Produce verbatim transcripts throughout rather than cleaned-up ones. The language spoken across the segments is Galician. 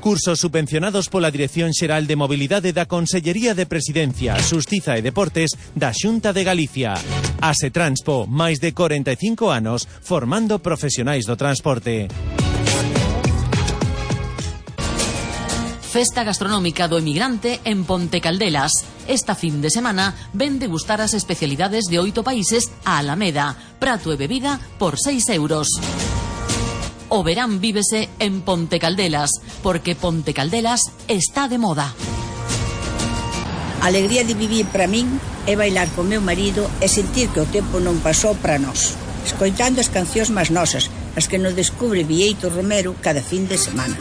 Cursos subvencionados pola Dirección Xeral de Mobilidade da Consellería de Presidencia, Xustiza e Deportes da Xunta de Galicia. Asetranspo, máis de corenta e cinco anos formando profesionais do transporte. Festa gastronómica do emigrante en Ponte Caldelas. Esta fin de semana ven degustar as especialidades de oito países a Alameda. Prato e bebida por seis euros. O verán vívese en Ponte Caldelas, porque Ponte Caldelas está de moda. A alegría de vivir para min é bailar con meu marido e sentir que o tempo non pasou para nós, escoitando as cancións máis nosas, as que nos descubre Bieito Romero cada fin de semana.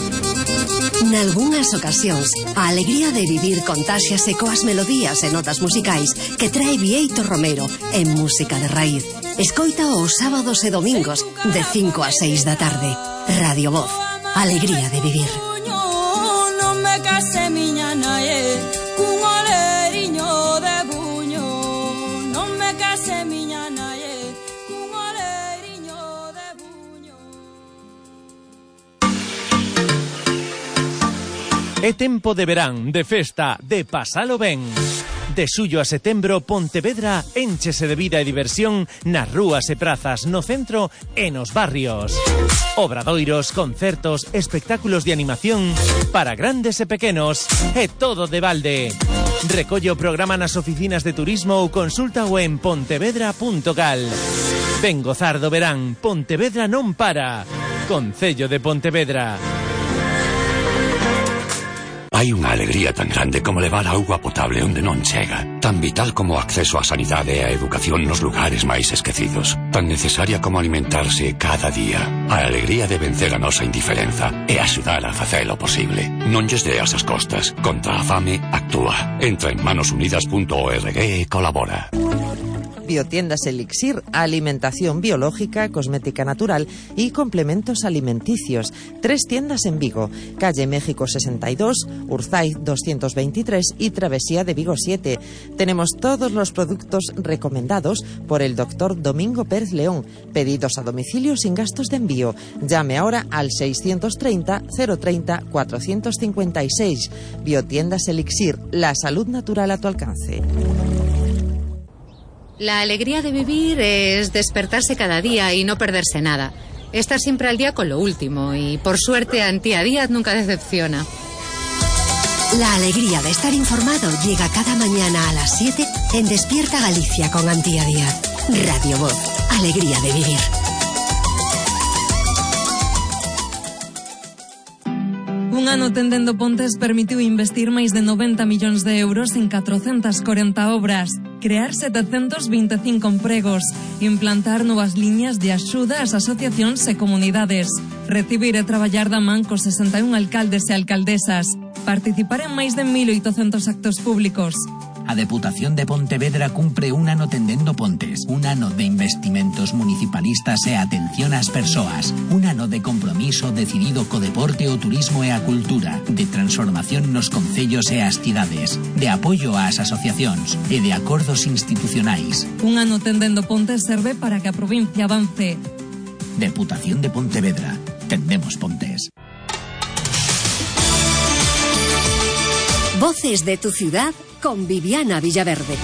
Nalgúnas ocasións, a alegría de vivir contáxiase coas melodías e notas musicais que trae Bieito Romero en música de raíz. Escoita os sábados e domingos de cinco a seis da tarde. Radio Voz, alegría de vivir. Non me case miña nae, cun oleriño de buño. Non me case miña nae, cun oleriño de buño. É tempo de verán, de festa, de pasalo ben. De xullo a setembro, Pontevedra énchese de vida e diversión nas rúas e prazas, no centro e nos barrios. Obradoiros, concertos, espectáculos de animación para grandes e pequenos, e todo de balde. Recollo o programa nas oficinas de turismo ou consúltao en pontevedra punto gal. Ven gozar do verán, Pontevedra non para. Concello de Pontevedra. Hai unha alegría tan grande como levar auga potable onde non chega, tan vital como o acceso á sanidade e á educación nos lugares máis esquecidos, tan necesaria como alimentarse cada día. A alegría de vencer a nosa indiferenza e axudar a facelo posible. Non lles deas as costas. Contra a fame, actúa. Entra en manos unidas punto org e colabora. Biotiendas Elixir, alimentación biológica, cosmética natural y complementos alimenticios. Tres tiendas en Vigo, calle México sesenta y dos, Urzaiz doscientos veintitrés y Travesía de Vigo siete. Tenemos todos los productos recomendados por el doctor Domingo Pérez León. Pedidos a domicilio sin gastos de envío. Llame ahora al seiscientos treinta, cero treinta, cuatrocientos cincuenta y seis. Biotiendas Elixir, la salud natural a tu alcance. La alegría de vivir es despertarse cada día y no perderse nada. Estar siempre al día con lo último y, por suerte, Antía Díaz nunca decepciona. La alegría de estar informado llega cada mañana a las siete en Despierta Galicia con Antía Díaz. Radio Voz, alegría de vivir. Un ano Tendendo Pontes permitiu investir máis de noventa millóns de euros en catrocentas corenta obras, crear setecentos vinte e cinco empregos, implantar novas liñas de axuda ás asociacións e comunidades, recibir e traballar da man cos sesenta e un alcaldes e alcaldesas, participar en máis de mil oitocentos actos públicos. A Deputación de Pontevedra cumpre un ano Tendendo Pontes, un ano de investimentos municipalistas e atención ás persoas, un ano de compromiso decidido co deporte, o turismo e a cultura, de transformación nos concellos e as cidades, de apoio ás asociacións e de acordos institucionais. Un ano Tendendo Pontes serve para que a provincia avance. Deputación de Pontevedra. Tendemos Pontes. Voces de tu ciudad con Viviana Villaverde.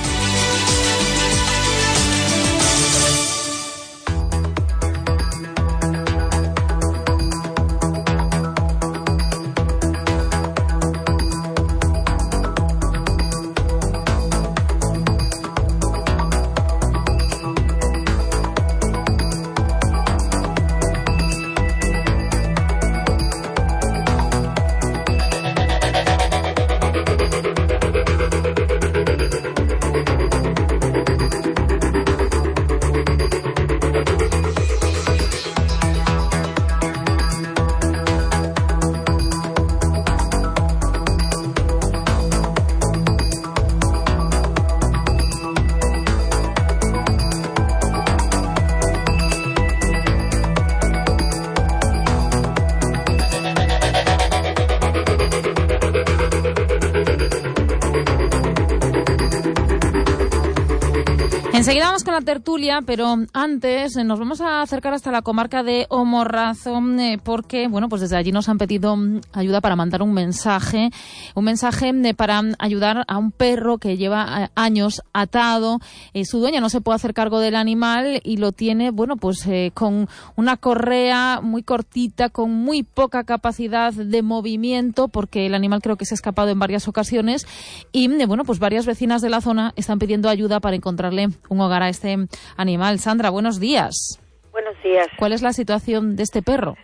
Enseguida vamos con la tertulia, pero antes eh, nos vamos a acercar hasta la comarca de O Morrazo, eh, porque, bueno, pues desde allí nos han pedido ayuda para mandar un mensaje, un mensaje eh, para ayudar a un perro que lleva eh, años atado. Eh, su dueña no se puede hacer cargo del animal y lo tiene, bueno, pues eh, con una correa muy cortita, con muy poca capacidad de movimiento, porque el animal creo que se ha escapado en varias ocasiones y, eh, bueno, pues varias vecinas de la zona están pidiendo ayuda para encontrarle un hogar a este animal. Sandra, buenos días. Buenos días. ¿Cuál es la situación de este perro?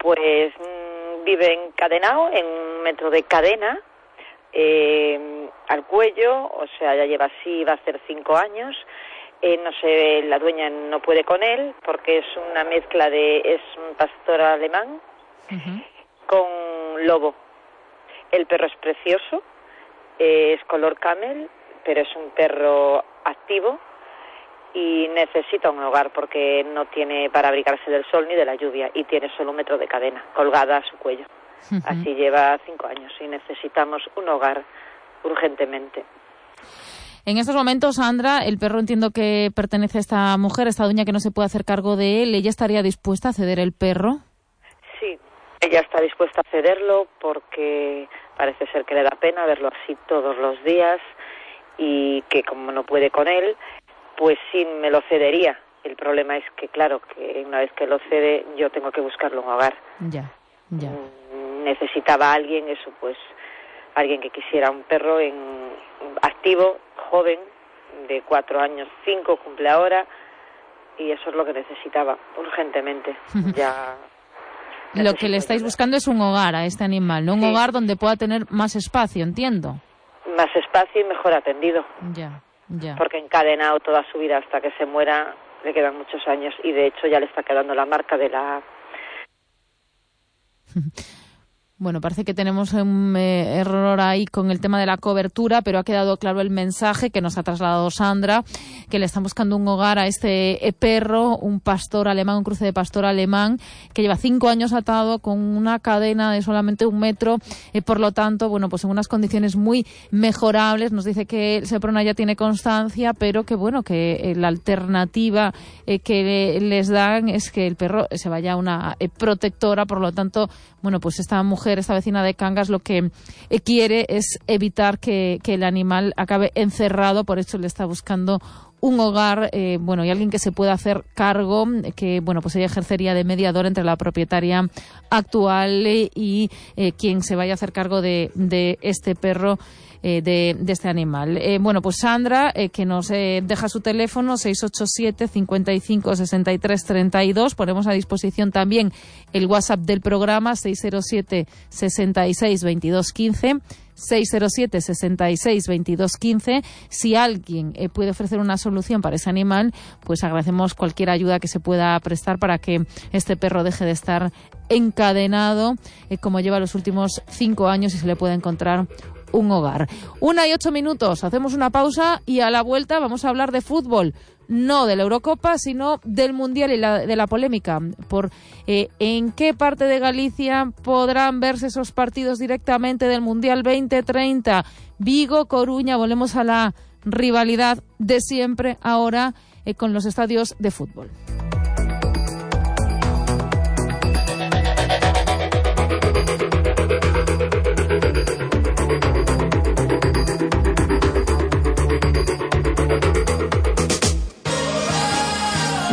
Pues mmm, vive encadenado en un metro de cadena eh, al cuello, o sea, ya lleva así, va a hacer cinco años. Eh, no sé, la dueña no puede con él porque es una mezcla de, es un pastor alemán uh-huh. con lobo. El perro es precioso, eh, es color camel, pero es un perro activo y necesita un hogar porque no tiene para abrigarse del sol ni de la lluvia y tiene solo un metro de cadena colgada a su cuello. Uh-huh. Así lleva cinco años y necesitamos un hogar urgentemente. En estos momentos, Sandra, el perro entiendo que pertenece a esta mujer, esta dueña que no se puede hacer cargo de él. ¿Ella estaría dispuesta a ceder el perro? Sí, ella está dispuesta a cederlo porque parece ser que le da pena verlo así todos los días y que como no puede con él, pues sí me lo cedería. El problema es que, claro, que una vez que lo cede, yo tengo que buscarle un hogar. Ya, ya. Necesitaba a alguien, eso pues, alguien que quisiera un perro en activo, joven, de cuatro años, cinco, cumple ahora, y eso es lo que necesitaba, urgentemente. Ya. Lo que le estáis buscando es un hogar a este animal, ¿no? Un sí. hogar donde pueda tener más espacio, entiendo. Más espacio y mejor atendido. Ya. Ya. Porque encadenado toda su vida hasta que se muera le quedan muchos años y de hecho ya le está quedando la marca de la... Bueno, parece que tenemos un eh, error ahí con el tema de la cobertura, pero ha quedado claro el mensaje que nos ha trasladado Sandra, que le están buscando un hogar a este eh, perro, un pastor alemán, un cruce de pastor alemán, que lleva cinco años atado con una cadena de solamente un metro, eh, por lo tanto, bueno, pues en unas condiciones muy mejorables. Nos dice que el Seprona ya tiene constancia, pero que bueno, que eh, la alternativa eh, que les dan es que el perro se vaya a una eh, protectora, por lo tanto, bueno, pues esta mujer, esta vecina de Cangas, lo que eh, quiere es evitar que, que el animal acabe encerrado, por eso le está buscando un hogar, eh, bueno, y alguien que se pueda hacer cargo, que, bueno, pues ella ejercería de mediador entre la propietaria actual eh, y eh, quien se vaya a hacer cargo de, de este perro, eh, de, de este animal. Eh, bueno, pues Sandra, eh, que nos eh, deja su teléfono, seis ocho siete, cincuenta y cinco, sesenta y tres, treinta y dos. Ponemos a disposición también el WhatsApp del programa, seis cero siete, sesenta y seis, veintidós quince. seis cero siete, sesenta y seis, veintidós quince. Si alguien eh, puede ofrecer una solución para ese animal, pues agradecemos cualquier ayuda que se pueda prestar para que este perro deje de estar encadenado, eh, como lleva los últimos cinco años, y se le pueda encontrar un hogar. Una y ocho minutos, hacemos una pausa y a la vuelta vamos a hablar de fútbol. No de la Eurocopa, sino del Mundial y la, de la polémica por eh, en qué parte de Galicia podrán verse esos partidos directamente del Mundial veinte treinta. Vigo, Coruña, volvemos a la rivalidad de siempre ahora eh, con los estadios de fútbol.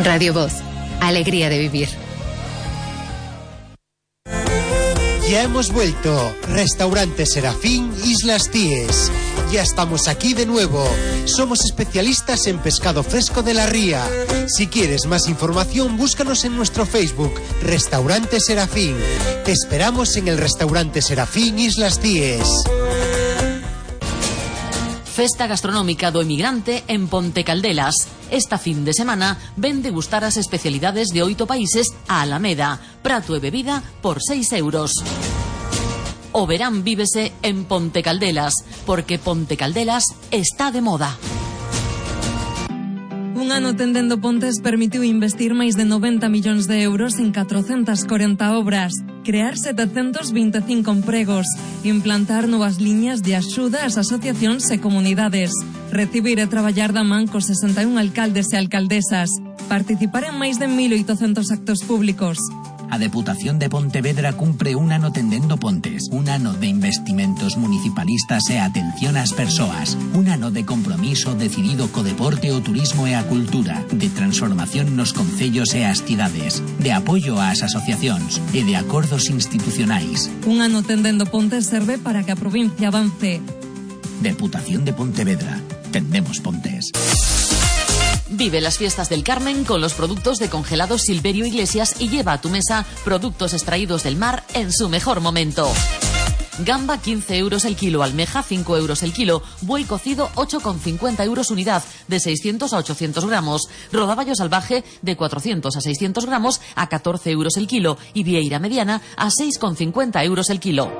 Radio Voz, alegría de vivir. Ya hemos vuelto. Restaurante Serafín, Islas Cíes. Ya estamos aquí de nuevo. Somos especialistas en pescado fresco de la ría. Si quieres más información, búscanos en nuestro Facebook, Restaurante Serafín. Te esperamos en el Restaurante Serafín, Islas Cíes. Festa gastronómica do emigrante en Ponte Caldelas. Esta fin de semana ven degustar as especialidades de oito países a Alameda. Prato e bebida por seis euros. O verán vívese en Ponte Caldelas, porque Ponte Caldelas está de moda. Un ano tendendo pontes permitiu investir máis de noventa millóns de euros en catrocentas corenta obras. crear setecentos vinte e cinco empregos, implantar novas liñas de axuda ás asociacións e comunidades, recibir e traballar da man cos sesenta e un alcaldes e alcaldesas, participar en máis de mil oitocentos actos públicos. A Deputación de Pontevedra cumpre un ano tendendo pontes, un ano de investimentos municipalistas e atención ás persoas, un ano de compromiso decidido co deporte, o turismo e a cultura, de transformación nos concellos e as cidades, de apoio ás asociacións e de acordos institucionais. Un ano tendendo pontes serve para que a provincia avance. Deputación de Pontevedra. Tendemos pontes. Vive las fiestas del Carmen con los productos de congelados Silverio Iglesias y lleva a tu mesa productos extraídos del mar en su mejor momento. Gamba quince euros el kilo, almeja cinco euros el kilo, buey cocido ocho con cincuenta euros unidad, de seiscientos a ochocientos gramos, rodaballo salvaje de cuatrocientos a seiscientos gramos a catorce euros el kilo y vieira mediana a seis con cincuenta euros el kilo.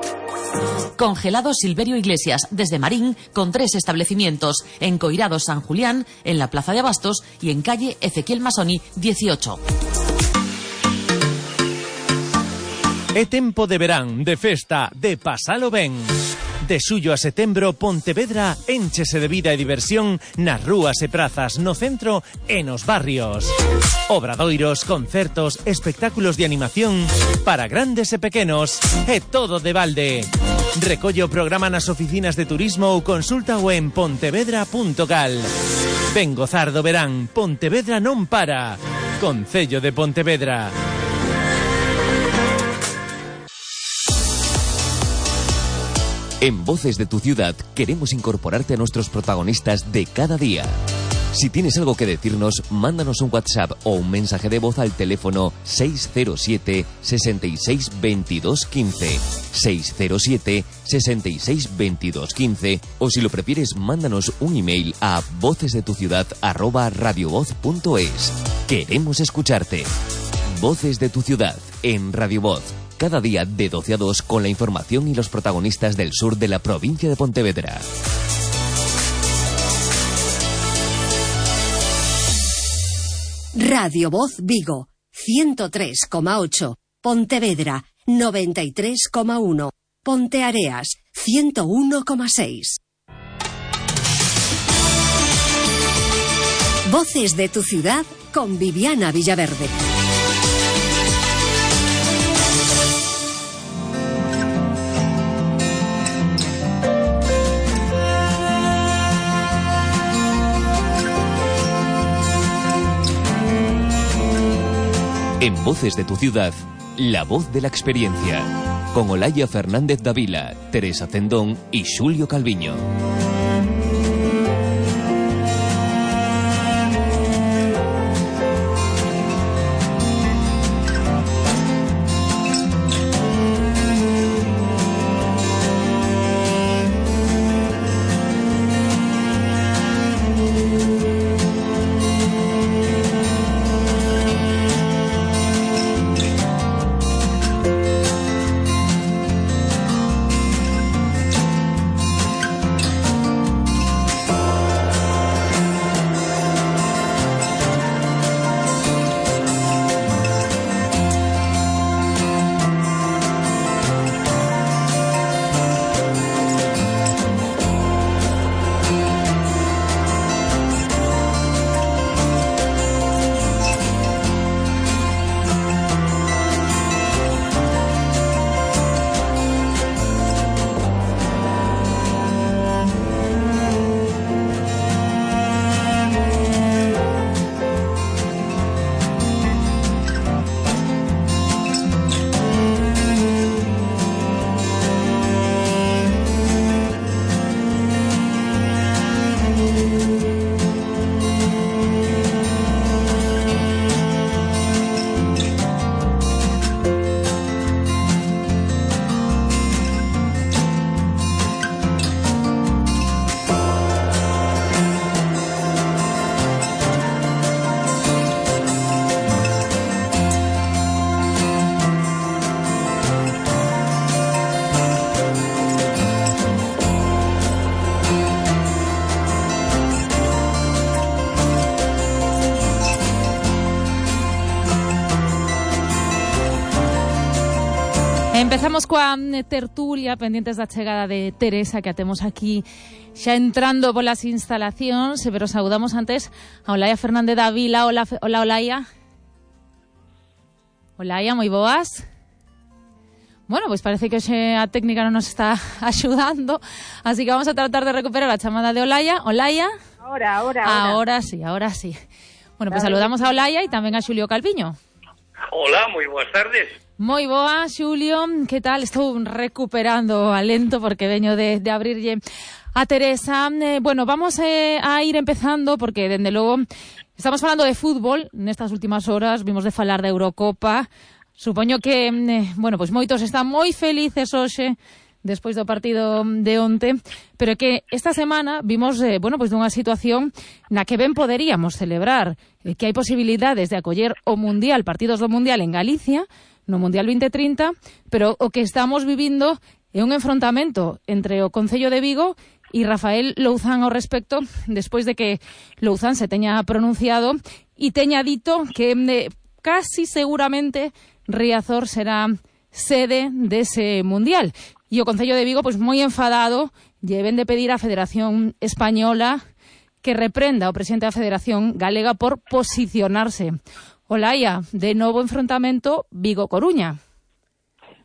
Congelados Silverio Iglesias, desde Marín, con tres establecimientos, en Coirados San Julián, en la Plaza de Abastos y en calle Ezequiel Masoni dieciocho. É tempo de verán, de festa, de pasalo ben. De xullo a setembro, Pontevedra énchese de vida e diversión nas rúas e prazas, no centro e nos barrios. Obradoiros, concertos, espectáculos de animación para grandes e pequenos, e todo de balde. Recolle o programa nas oficinas de turismo ou consúltao en pontevedra punto gal. Ven gozar do verán, Pontevedra non para. Concello de Pontevedra. En Voces de tu Ciudad queremos incorporarte a nuestros protagonistas de cada día. Si tienes algo que decirnos, mándanos un WhatsApp o un mensaje de voz al teléfono seis cero siete, sesenta y seis, veintidós, quince, seis cero siete, sesenta y seis, veintidós, quince, o si lo prefieres, mándanos un email a vocesdetuciudad arroba radiovoz punto es. Queremos escucharte. Voces de tu Ciudad en Radio Voz. Cada día de doce a dos con la información y los protagonistas del sur de la provincia de Pontevedra. Radio Voz Vigo, ciento tres coma ocho. Pontevedra, noventa y tres coma uno. Ponteareas, ciento uno coma seis. Voces de tu Ciudad con Viviana Villaverde. En Voces de tu Ciudad, la voz de la experiencia, con Olaya Fernández Davila, Teresa Cendón y Xulio Calviño. Empezamos coa tertulia pendentes da chegada de Teresa, que a temos aquí xa entrando polas instalacións, pero saudamos antes a Olaia Fernández da Vila. Hola, hola Olaia. Olaia, moi boas. Bueno, pois parece que hoxe a técnica non nos está axudando, así que vamos a tratar de recuperar a chamada de Olaia. Olaia. Ahora, ahora, ahora. Ahora sí, ahora sí. Bueno, pois pues saludamos a Olaia e tamén a Xulio Calviño. Hola, moi boas tardes. Moi boa, Xulio, que tal? Estou recuperando alento porque veño de, de abrirlle a Teresa. Eh, bueno, vamos eh, a ir empezando porque, dende logo, estamos falando de fútbol nestas últimas horas, vimos de falar da Eurocopa. Supoño que, eh, bueno, pois moitos están moi felices hoxe despois do partido de onte, pero que esta semana vimos, eh, bueno, pois dunha situación na que ben poderíamos celebrar, eh, que hai posibilidades de acoller o Mundial, partidos do Mundial en Galicia, no Mundial vinte trinta, pero o que estamos vivindo é un enfrontamento entre o Concello de Vigo e Rafael Louzán ao respecto, despois de que Louzán se teña pronunciado e teña dito que eh, casi seguramente Riazor será sede dese Mundial. E o Concello de Vigo, pois moi enfadado, lle ven de pedir á Federación Española que reprenda o presidente da Federación Galega por posicionarse. Olaia, de novo enfrontamento Vigo-Coruña.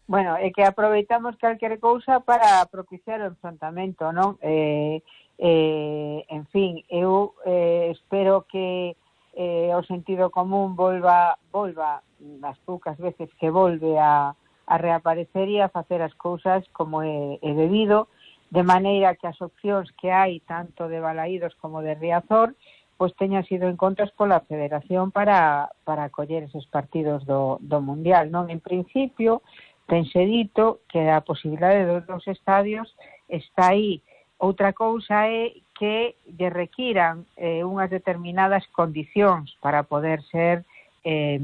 Bueno, é que aproveitamos calquer cousa para propiciar o enfrontamento, non? Eh, eh, en fin, eu eh, espero que eh, o sentido común volva, volva as poucas veces que volve a a reaparecer e a facer as cousas como é, é debido, de maneira que as opcións que hai, tanto de Balaídos como de Riazor, pois teñan sido en contas pola Federación para, para acoller eses partidos do, do Mundial, non? En principio, tense dito que a posibilidade dos dos estadios está aí. Outra cousa é que lle requiran eh, unhas determinadas condicións para poder ser eh,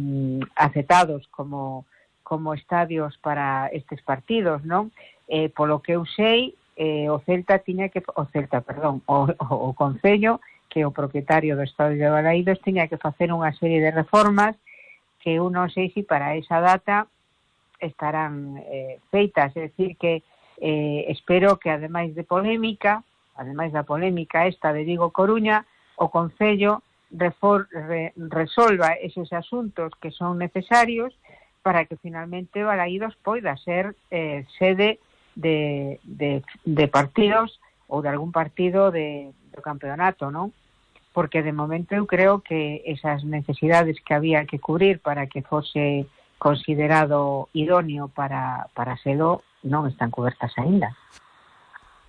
aceptados como como estadios para estes partidos, non? Eh, polo que eu sei, eh, o Celta tiña que, o Celta, perdón, o, o, o Concello, que é o propietario do estadio de Balaídos, tiña que facer unha serie de reformas que eu non sei se para esa data estarán eh, feitas, é dicir que eh, espero que ademais de polémica, ademais da polémica esta de Vigo-Coruña, o Concello refor, re, resolva eses asuntos que son necesarios para que finalmente Balaídos poida ser eh, sede de, de, de partidos ou de algún partido de, do campeonato, non? Porque de momento eu creo que esas necesidades que había que cubrir para que fose considerado idóneo para, para selo non están cobertas aínda.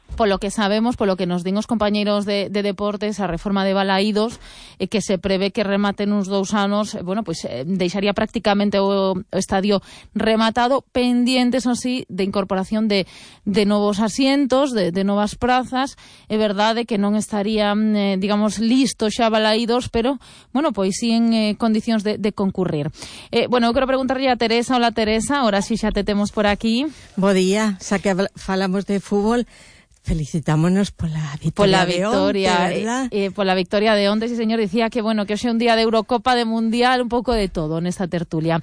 Polo que sabemos, polo que nos din os compañeiros de, de deportes, a reforma de Balaídos, eh, que se prevé que remate nuns dous anos, eh, bueno, pois eh, deixaría prácticamente o, o estadio rematado, pendientes, así, de incorporación de, de novos asientos, de, de novas prazas. É verdade que non estarían, eh, digamos, listos xa Balaídos, pero, bueno, pois sí en eh, condicións de, de concurrir. Eh, bueno, eu quero preguntarlle a Teresa. Hola, Teresa, ahora sí xa te temos por aquí. Bo día, xa que falamos de fútbol, felicitámonos pola victoria, pola victoria de onte, eh, eh, pola victoria de onte, sí señor, dicía que bueno, que hoxe é un día de Eurocopa, de Mundial, un pouco de todo nesta tertulia.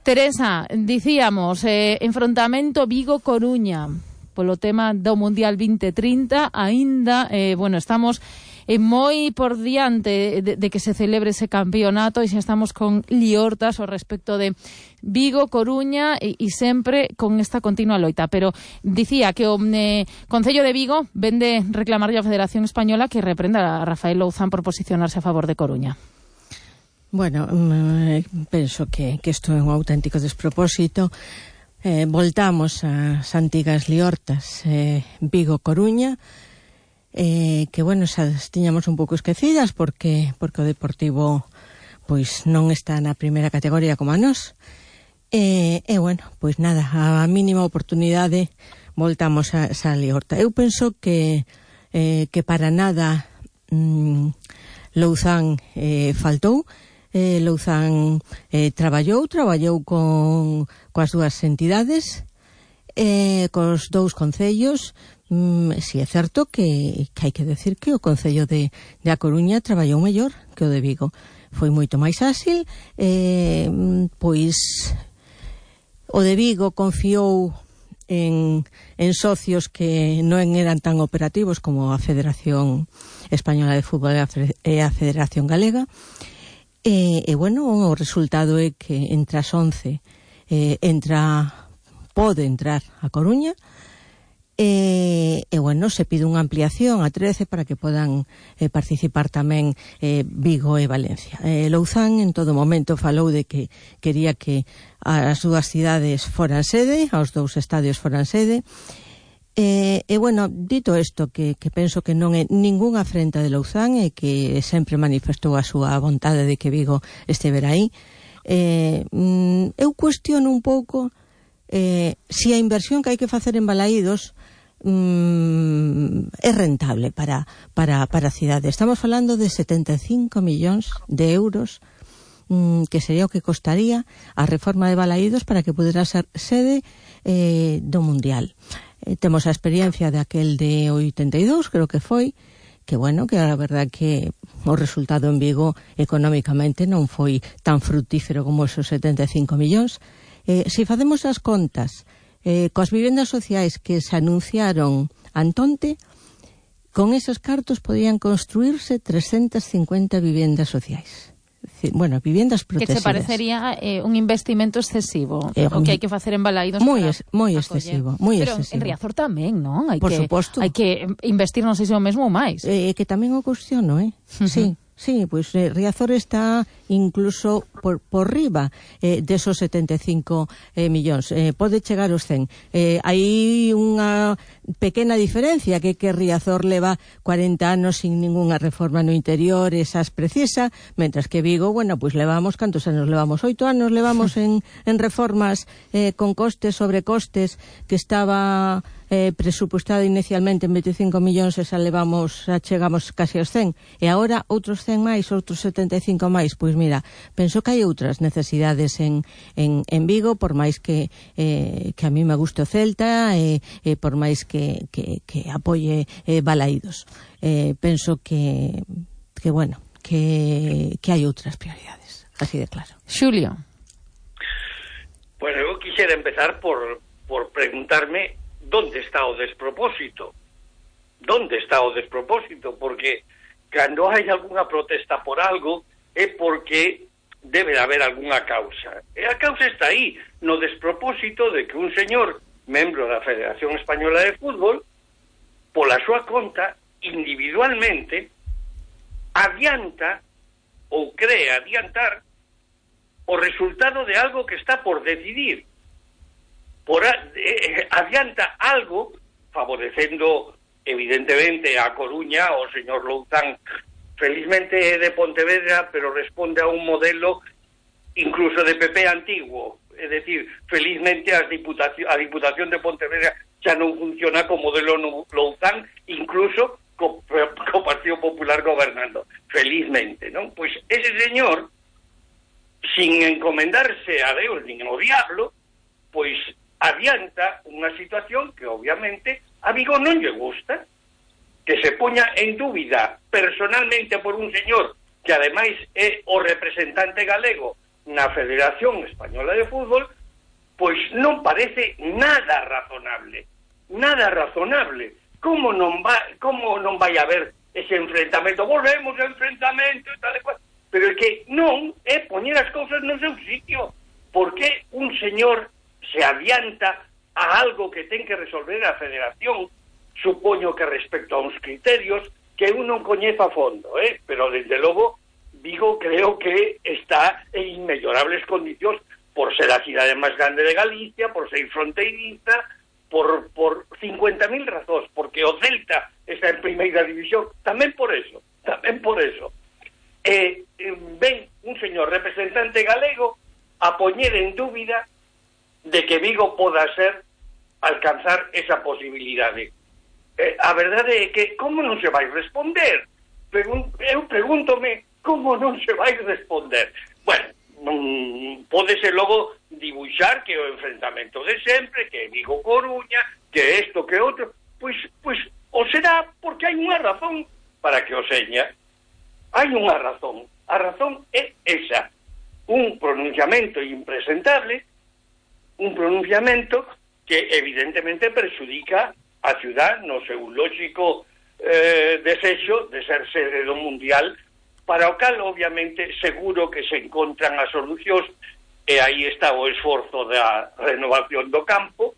Teresa, dicíamos, eh, enfrontamento Vigo-Coruña polo tema do Mundial vinte trinta, aínda, eh, bueno, estamos eh, moi por diante de, de que se celebre ese campeonato e xa estamos con liortas ao respecto de Vigo, Coruña e, e sempre con esta continua loita. Pero dicía que o eh, Concello de Vigo vende reclamarlle á Federación Española que reprenda a Rafael Louzán por posicionarse a favor de Coruña. Bueno, eh, penso que, que isto é un auténtico despropósito. Eh, voltamos ás antigas liortas eh, Vigo-Coruña, eh, que, bueno, xa tiñamos un pouco esquecidas porque porque o Deportivo pois non está na primeira categoría como a nós. E, e bueno, pois nada, a mínima oportunidade voltamos a esa liorta. Eu penso que eh, que para nada mm, Louzán eh, faltou. Eh, Louzán eh, traballou, traballou con coas dúas entidades, eh, cos dous concellos. Mm, si é certo que, que hai que decir que o Concello de, de A Coruña traballou mellor que o de Vigo. Foi moito máis áxil, eh, pois o de Vigo confiou en, en socios que non eran tan operativos como a Federación Española de Fútbol e a Federación Galega. E, e bueno, o resultado é que entre as once eh, entra, pode entrar a Coruña, e, e bueno, se pide unha ampliación a trece para que podan eh, participar tamén eh, Vigo e Valencia. Eh, Louzán en todo momento falou de que quería que as dúas cidades foran sede, aos dous estadios foran sede. E, e bueno, dito isto, que, que penso que non é ningunha afrenta de Louzán e que sempre manifestou a súa vontade de que Vigo estevera aí, eh, mm, eu cuestiono un pouco eh, si a inversión que hai que facer en Balaídos mm, é rentable para, para, para a cidade. Estamos falando de setenta e cinco millóns de euros mm, que sería o que costaría a reforma de Balaídos para que pudera ser sede eh, do Mundial. Eh, temos a experiencia de aquel de oitenta e dous, creo que foi, que bueno, que a verdad que o resultado en Vigo económicamente non foi tan fructífero como esos setenta e cinco millóns. Eh, se facemos as contas eh, coas vivendas sociais que se anunciaron antonte, con esos cartos podían construirse trescentas cincuenta vivendas sociais. Bueno, vivendas protegidas. Que se parecería eh, un investimento excesivo, eh, o que hai que facer en Balaídos moi es, moi excesivo, moi Pero excesivo. en Riazor tamén, non? Hai Por que, suposto. hai que investir, non sei se o mesmo ou máis. Eh, que tamén o cuestiono, eh? Uh-huh. Sí. Sí, pois pues, eh, Riazor está incluso por, por riba eh, desos setenta e cinco eh, millóns. Eh, pode chegar aos cen. Eh, hai unha pequena diferencia, que que Riazor leva cuarenta anos sin ningunha reforma no interior, esas precisa, mentras que Vigo, bueno, pois pues levamos, cantos anos levamos? Oito anos levamos en, en reformas eh, con costes sobre costes, que estaba eh, presupuestada inicialmente en veinticinco millóns, esa levamos, xa chegamos casi aos cen, e agora outros cen máis, outros setenta e cinco máis. Pois mira, penso que hai outras necesidades en, en, en Vigo, por máis que eh, que a mí me guste o Celta, e eh, eh, por máis que, que, que apoie eh, Balaídos. Eh, penso que, que bueno, que, que hai outras prioridades, así de claro. Xulio. Bueno, eu quixera empezar por, por preguntarme ¿dónde está o despropósito? ¿Dónde está o despropósito? Porque cando hai algunha protesta por algo é porque debe haber algunha causa. E a causa está aí, no despropósito de que un señor, membro da Federación Española de Fútbol, pola súa conta, individualmente, adianta ou cree adiantar o resultado de algo que está por decidir. Por a, eh, adianta algo favorecendo evidentemente a Coruña, o señor Louzán felizmente é de Pontevedra, pero responde a un modelo incluso de P P antiguo, é dicir, felizmente as diputación, a Diputación de Pontevedra xa non funciona co modelo Louzán, incluso co, co Partido Popular gobernando, felizmente, non? Pois ese señor, sin encomendarse a Deus nin ao diablo, pois adianta unha situación que obviamente a Vigo non lle gusta, que se poña en dúbida personalmente por un señor que ademais é o representante galego na Federación Española de Fútbol, pois non parece nada razonable, nada razonable. Como non va, como non vai haber ese enfrentamento? Volvemos ao enfrentamento e tal e cual, pero é que non é poñer as cousas no seu sitio, porque un señor se adianta a algo que ten que resolver a Federación, supoño que respecto a uns criterios que eu non coñezo a fondo, eh? Pero desde logo Vigo creo que está en inmellorables condicións por ser a cidade máis grande de Galicia, por ser fronteiriza, por, por cincuenta mil razóns, porque o Celta está en primeira división, tamén por eso, tamén por eso. Eh, ven un señor representante galego a poñer en dúbida de que Vigo poda ser alcanzar esa posibilidade. Eh, a verdade é que como non se vai responder? Pregun eu pregúntome como non se vai responder. Bueno, mm, pódese logo dibuixar que o enfrentamento de sempre, que Vigo Coruña, que isto, que outro, pois, pois o será porque hai unha razón para que o seña. Hai unha razón. A razón é esa. Un pronunciamento impresentable, un pronunciamento que evidentemente perxudica a ciudad no seu lógico eh, desexo de ser sede do Mundial, para o cal, obviamente, seguro que se encontran as solucións, e aí está o esforzo da renovación do campo,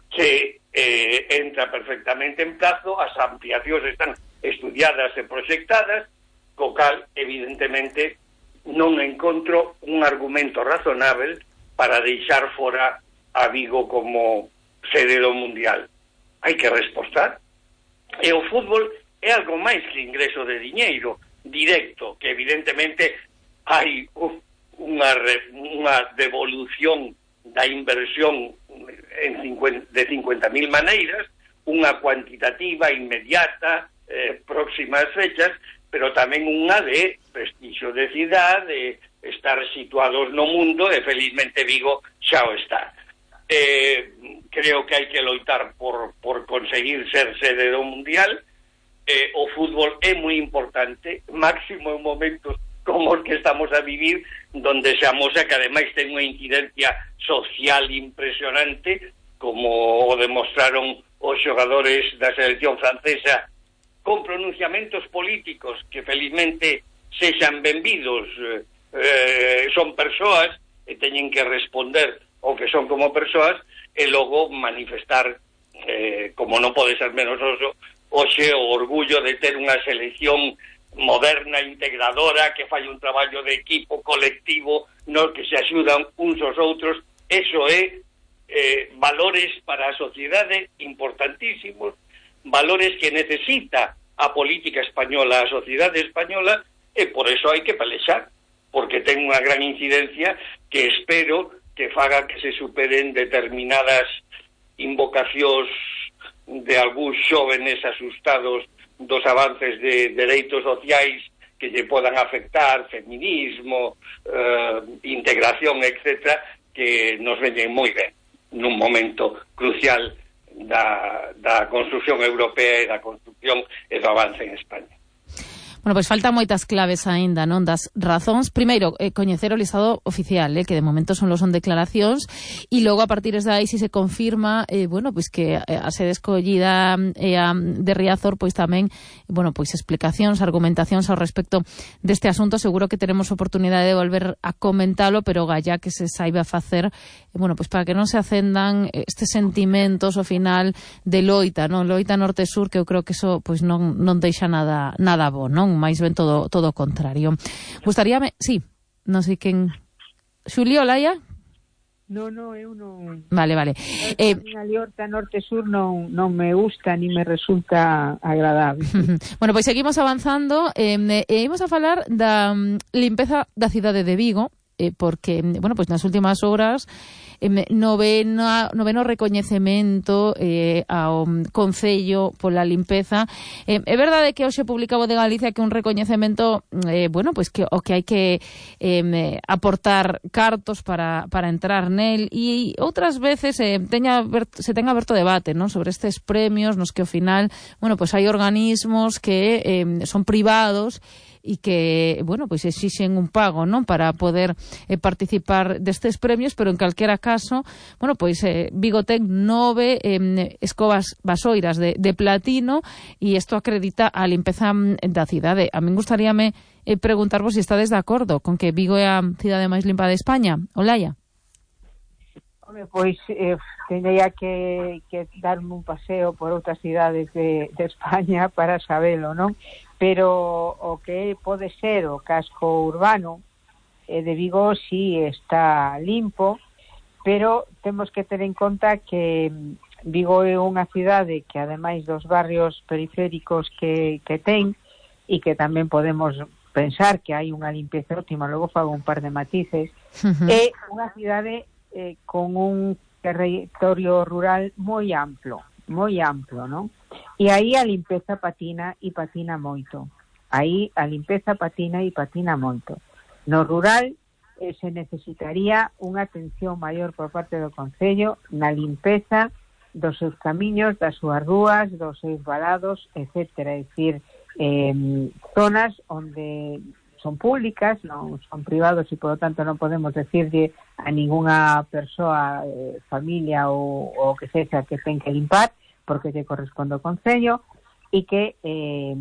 que eh, entra perfectamente en plazo, as ampliacións están estudiadas e proxectadas, co cal, evidentemente, non encontro un argumento razonável para deixar fora a Vigo como sede do Mundial. Hai que respostar. E o fútbol é algo máis que ingreso de diñeiro directo, que evidentemente hai unha, unha devolución da inversión en cincuenta, de cincuenta mil maneiras, unha cuantitativa inmediata, eh, próximas fechas, pero tamén unha de prestixio de cidade, de estar situados no mundo, e felizmente Vigo xa o está. Eh, creo que hai que loitar por, por conseguir ser sede do Mundial. Eh, o fútbol é moi importante, máximo en momentos como os que estamos a vivir, donde se amosa que ademais ten unha incidencia social impresionante, como o demostraron os xogadores da selección francesa, con pronunciamentos políticos que felizmente sexan benvidos, eh, son persoas e teñen que responder o que son como persoas, e logo manifestar, eh, como non pode ser menos oso, hoxe o orgullo de ter unha selección moderna, integradora, que fai un traballo de equipo colectivo, no que se axudan uns aos outros. Eso é eh, valores para a sociedade importantísimos, valores que necesita a política española, a sociedade española, e por eso hai que pelexar, porque ten unha gran incidencia que espero que faga que se superen determinadas invocacións de algúns xóvenes asustados dos avances de dereitos sociais que lle podan afectar, feminismo, eh, integración, etcétera, que nos veñen moi ben nun momento crucial da, da construción europea e da construción e do avance en España. Bueno, pois faltan moitas claves aínda, non, das razóns. Primeiro, eh, coñecer o listado oficial, eh, que de momento son los son declaracións, e logo a partir de aí, se si se confirma, eh, bueno, pois que a sede escollida eh, a, de Riazor, pois tamén, bueno, pois explicacións, argumentacións ao respecto deste asunto. Seguro que teremos oportunidade de volver a comentalo, pero galla que se saiba facer, eh, bueno, pois para que non se acendan estes sentimentos ao final de loita, non, loita norte-sur, que eu creo que eso pois non non deixa nada nada bo, non? Máis ben todo todo o contrario. Gustaríame, sí, non sei quen... Xulio, Laia? No, no, eu non... Vale, vale. Eh, a liorta norte-sur non, non me gusta ni me resulta agradable. Bueno, pois seguimos avanzando e eh, eh, imos a falar da um, limpeza da cidade de Vigo, eh, porque, bueno, pois nas últimas horas noveno, noveno recoñecemento eh, ao Concello pola limpeza. Eh, é verdade que hoxe publicaba de Galicia que un recoñecemento, eh, bueno, pois que o que hai que eh, aportar cartos para, para entrar nel, e outras veces eh, teña, se ten aberto debate, non, sobre estes premios nos que ao final, bueno, pois hai organismos que eh, son privados e que, bueno, pois exixen un pago, non, para poder eh, participar destes premios, pero en calquera caso, bueno, pois eh, Vigo ten nove eh, escobas vasoiras de, de platino, e isto acredita a limpeza da cidade. A min gustaríame eh, preguntarvos se estades de acordo con que Vigo é a cidade máis limpa de España. Olaia? Home, pois eh, teña que, que darme un paseo por outras cidades de, de España para sabelo, non? Pero o que pode ser o casco urbano eh, de Vigo sí está limpo, pero temos que ter en conta que Vigo é unha cidade que, ademais dos barrios periféricos que, que ten, e que tamén podemos pensar que hai unha limpeza óptima, logo fago un par de matices, uh-huh. É unha cidade eh, con un territorio rural moi amplo, moi amplo, non? E aí a limpeza patina e patina moito. Aí a limpeza patina e patina moito. No rural eh, se necesitaría unha atención maior por parte do Concello na limpeza dos seus camiños, das súas rúas, dos seus valados, etcétera. É dicir, eh, zonas onde son públicas, non son privados e, por lo tanto, non podemos decirle a ninguna persoa, eh, familia ou o que sexa que ten que limpar, porque lle corresponde ao Concello, e que eh,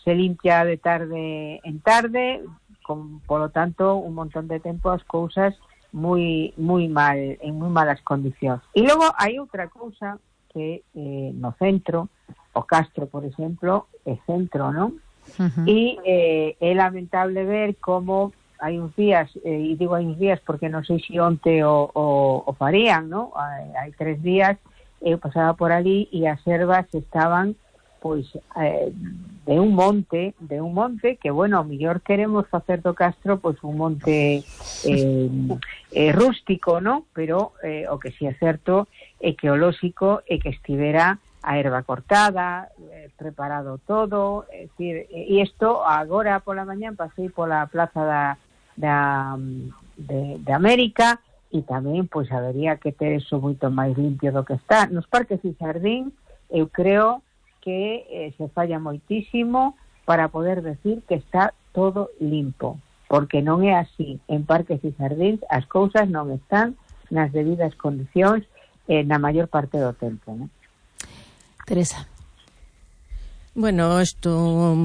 se limpia de tarde en tarde, con, por lo tanto, un montón de tempo as cousas moi moi mal, en moi malas condicións. E logo hai outra cousa que eh, no centro, o Castro, por exemplo, é centro, non? Uh-huh. E eh, é lamentable ver como hai uns días, eh, e digo hai uns días porque non sei se onte o, o, o farían, non? Hai, hai tres días eu pasaba por ali e as ervas estaban pois eh, de un monte, de un monte que, bueno, ao mellor queremos facer do Castro pois un monte eh, eh, rústico, non? Pero eh, o que si é certo é que o lóxico é que estivera a erva cortada, eh, preparado todo, é dicir, e isto agora pola mañán pasei pola plaza da, da de, de América e tamén pois habería que ter eso moito máis limpio do que está. Nos parques e xardín eu creo que eh, se falla moitísimo para poder decir que está todo limpo, porque non é así. En parques e xardíns as cousas non están nas debidas condicións eh, na maior parte do tempo, non? Teresa. Bueno, isto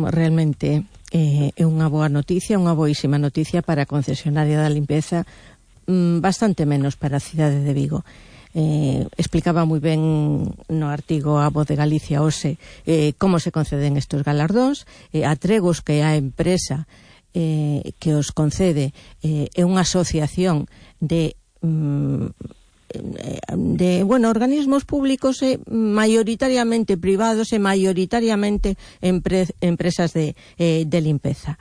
realmente eh, é unha boa noticia, unha boísima noticia para a concesionaria da limpeza, mm, bastante menos para a cidade de Vigo. Eh, explicaba moi ben no artigo A Voz de Galicia hoxe eh, como se conceden estes galardóns, eh, atregos que a empresa eh, que os concede eh, é unha asociación de mm, de, bueno, organismos públicos e maioritariamente privados e maioritariamente empre, empresas de, eh, de limpeza.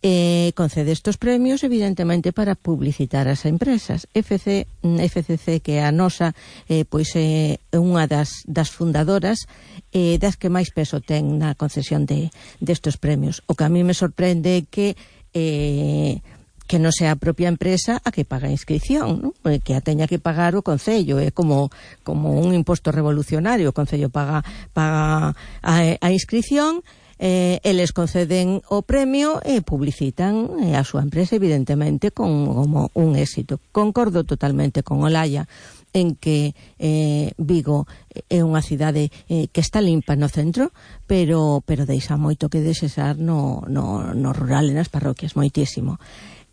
Eh, concede estos premios evidentemente para publicitar as empresas. F C, F C C, que é a nosa, eh, pois é eh, unha das, das fundadoras eh, das que máis peso ten na concesión de destes premios. O que a mí me sorprende é que eh, que non sea a propia empresa a que paga a inscripción, ¿no? Que a teña que pagar o Concello, é como como un imposto revolucionario. O Concello paga paga a, a inscripción, eh, eles conceden o premio e publicitan eh, a súa empresa, evidentemente, con como un éxito. Concordo totalmente con Olaya en que eh, Vigo é unha cidade eh, que está limpa no centro, pero pero deixa moito que desexar no, no, no rural e nas parroquias, moitísimo.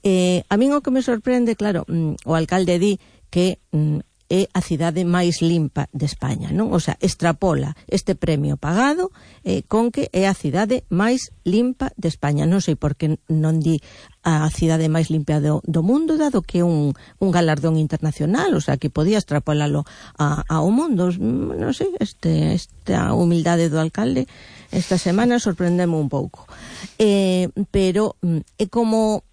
Eh, a min o que me sorprende, claro, mm, o alcalde di que mm, é a cidade máis limpa de España, non? O sea, extrapola este premio pagado eh, con que é a cidade máis limpa de España. Non sei por que non di a cidade máis limpia do, do mundo, dado que é un, un galardón internacional, o sea, que podía extrapolalo a, ao mundo. Non sei, este, esta humildade do alcalde esta semana sorprendeme un pouco. Eh, pero mm, é como...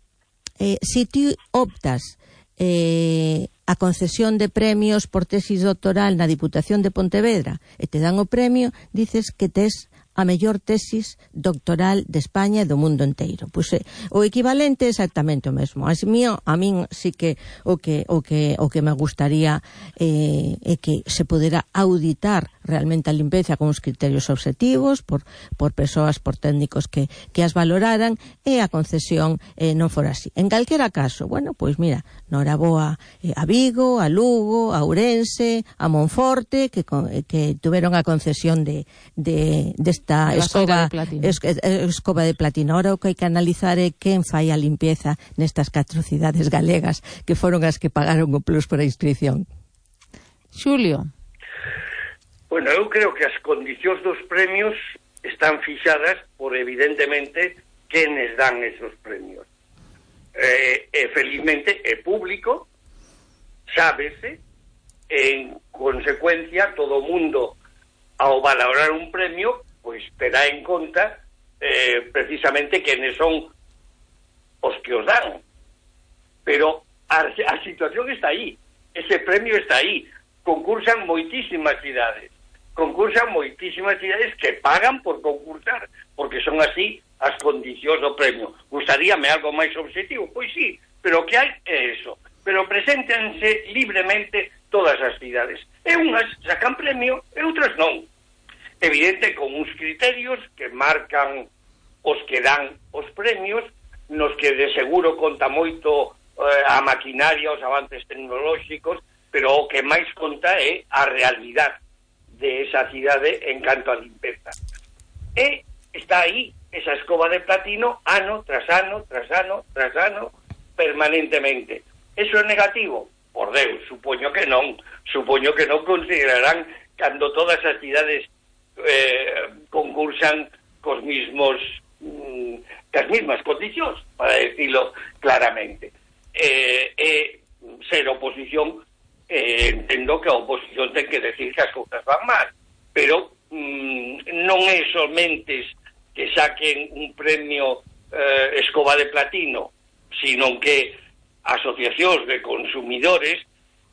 Eh, si ti optas eh, a concesión de premios por tesis doctoral na Diputación de Pontevedra e te dan o premio, dices que tes a mellor tesis doctoral de España e do mundo inteiro. Pois eh, o equivalente é exactamente o mesmo. As mío, a min sí que o que o que o que me gustaría eh, é que se pudera auditar realmente a limpeza con uns criterios objetivos por por persoas, por técnicos que que as valoraran, e a concesión eh, non fora así. En calquera caso, bueno, pois mira, noraboa eh, a Vigo, a Lugo, a Ourense, a Monforte, que que tuveron a concesión de de de esta escoba de, es, escoba de platino. Ahora o que hai que analizar é quen fai a limpieza nestas catro cidades galegas que foron as que pagaron o plus por a inscripción. Xulio. Bueno, eu creo que as condicións dos premios están fixadas por, evidentemente, quenes dan esos premios. Eh, e felizmente é público, sábese, en consecuencia todo o mundo ao valorar un premio pois terá en conta eh, precisamente quenes son os que os dan. Pero a, a situación está aí, ese premio está aí. Concursan moitísimas cidades, concursan moitísimas cidades que pagan por concursar, porque son así as condicións do premio. Gustaríame algo máis objetivo? Pois sí, pero o que hai é eso. Pero preséntense libremente todas as cidades. E unhas sacan premio e outras non. Evidente, con uns criterios que marcan os que dan os premios, nos que de seguro conta moito eh, a maquinaria, os avances tecnolóxicos, pero o que máis conta é a realidade de esa cidade en canto a limpeza. E está aí esa escoba de platino ano tras ano, tras ano, tras ano, permanentemente. Eso é negativo? Por Deus, supoño que non. Supoño que non considerarán cando todas as cidades eh, concursan cos mismos mm, cas mismas condicións, para decirlo claramente. Eh, eh, ser oposición, eh, entendo que a oposición ten que decir que as cousas van mal, pero mm, non é somente que saquen un premio eh, escoba de platino, sino que asociacións de consumidores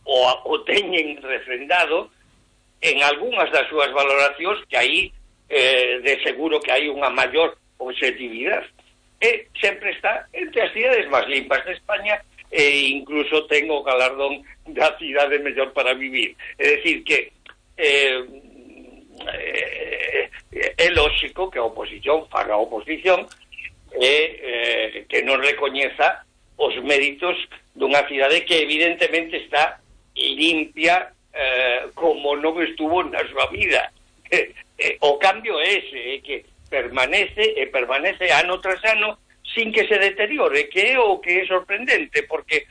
o, o teñen refrendado en algunhas das súas valoracións que aí eh, de seguro que hai unha maior objetividade. E sempre está entre as cidades máis limpas de España e incluso ten o galardón da cidade mellor para vivir. É dicir que eh, eh, é lóxico que a oposición faga a oposición e eh, que non recoñeza os méritos dunha cidade que evidentemente está limpia eh, como non estuvo na súa vida. Eh, eh, o cambio é ese, é que permanece e permanece ano tras ano sin que se deteriore, que é o que é sorprendente, porque